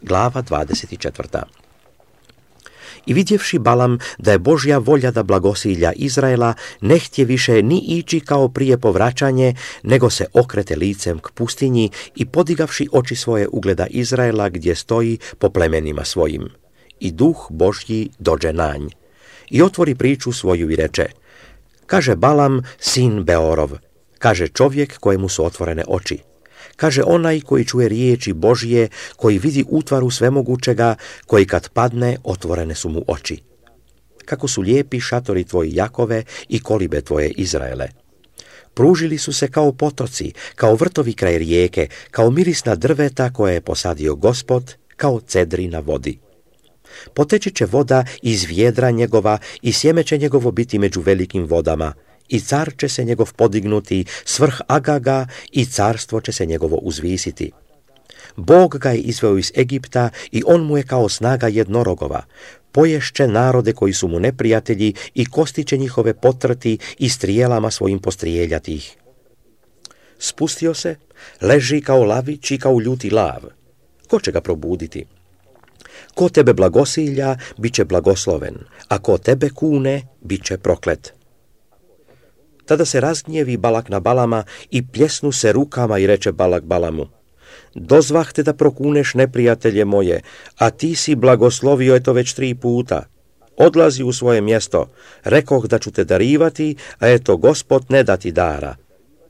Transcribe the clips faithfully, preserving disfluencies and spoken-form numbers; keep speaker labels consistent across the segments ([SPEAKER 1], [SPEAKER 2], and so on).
[SPEAKER 1] Glava dvadeset četvrta. I vidjevši Balam da je Božja volja da blagosilja Izraela, ne htje više ni ići kao prije povraćanje, nego se okrete licem k pustinji i podigavši oči svoje ugleda Izraela gdje stoji po plemenima svojim. I duh Božji dođe na nj. I otvori priču svoju i reče: kaže Balam, sin Beorov, kaže čovjek kojemu su otvorene oči. Kaže onaj koji čuje riječi Božje, koji vidi utvaru svemogućega, koji kad padne otvorene su mu oči. Kako su lijepi šatori tvoji Jakove i kolibe tvoje Izraele. Pružili su se kao potoci, kao vrtovi kraj rijeke, kao mirisna drveta koje je posadio Gospod, kao cedri na vodi. Poteći će voda iz vjedra njegova i sjeme će njegovo biti među velikim vodama, i car će se njegov podignuti svrh Agaga i carstvo će se njegovo uzvisiti. Bog ga je izveo iz Egipta i on mu je kao snaga jednorogova. Poješće narode koji su mu neprijatelji i kosti će njihove potrti i strijelama svojim postrijeljati ih. Spustio se, leži kao lavić i kao ljuti lav. Ko će ga probuditi? Ko tebe blagosilja, bit će blagosloven, a ko tebe kune, bit će proklet. Tada se razgnjevi Balak na Balama i pljesnu se rukama i reče Balak Balamu: dozvah te da prokuneš neprijatelje moje, a ti si blagoslovio je to već tri puta. Odlazi u svoje mjesto, rekoh da ću te darivati, a eto Gospod ne da ti dara.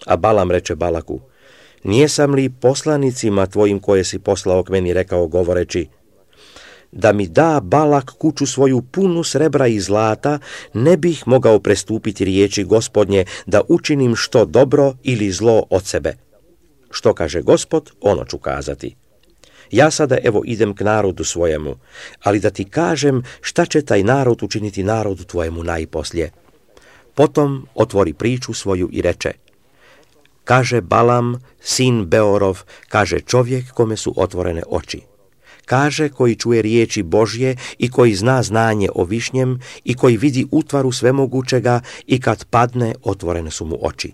[SPEAKER 1] A Balam reče Balaku: nijesam li poslanicima tvojim koje si poslao k meni rekao govoreći: da mi da Balak kuću svoju punu srebra i zlata, ne bih mogao prestupiti riječi Gospodnje da učinim što dobro ili zlo od sebe. Što kaže Gospod, ono ću kazati. Ja sada evo idem k narodu svojemu, ali da ti kažem šta će taj narod učiniti narodu tvojemu najposlije. Potom otvori priču svoju i reče: kaže Balam, sin Beorov, kaže čovjek kome su otvorene oči. Kaže koji čuje riječi Božje i koji zna znanje o višnjem i koji vidi utvaru svemogućega i kad padne otvorene su mu oči.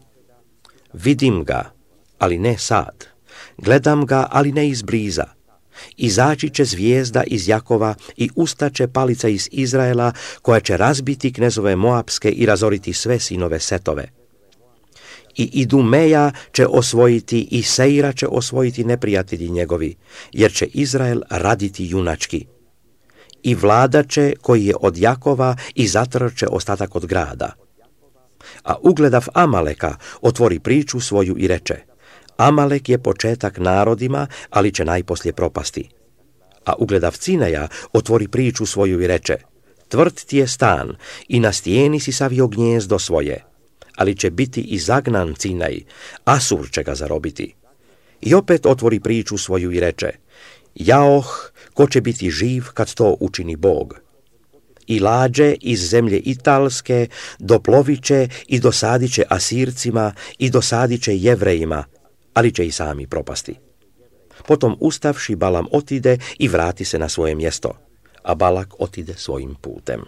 [SPEAKER 1] Vidim ga, ali ne sad. Gledam ga, ali ne izbliza. Izaći će zvijezda iz Jakova i ustaće palica iz Izraela koja će razbiti knezove Moapske i razoriti sve sinove Setove. I Idumeja će osvojiti i Seira će osvojiti neprijatelji njegovi, jer će Izrael raditi junački. I vladat će koji je od Jakova i zatrče ostatak od grada. A ugledav Amaleka otvori priču svoju i reče: Amalek je početak narodima, ali će najposlije propasti. A ugledav Cineja otvori priču svoju i reče: tvrd ti je stan i na stijeni si savio gnjezdo svoje, ali će biti i zagnan Cinej, Asur će ga zarobiti. I opet otvori priču svoju i reče: jaoh, ko će biti živ kad to učini Bog. I lađe iz zemlje Italske doplovit će i dosadit će Asircima i dosadit će Jevrejima, ali će i sami propasti. Potom ustavši Balam otide i vrati se na svoje mjesto, a Balak otide svojim putem.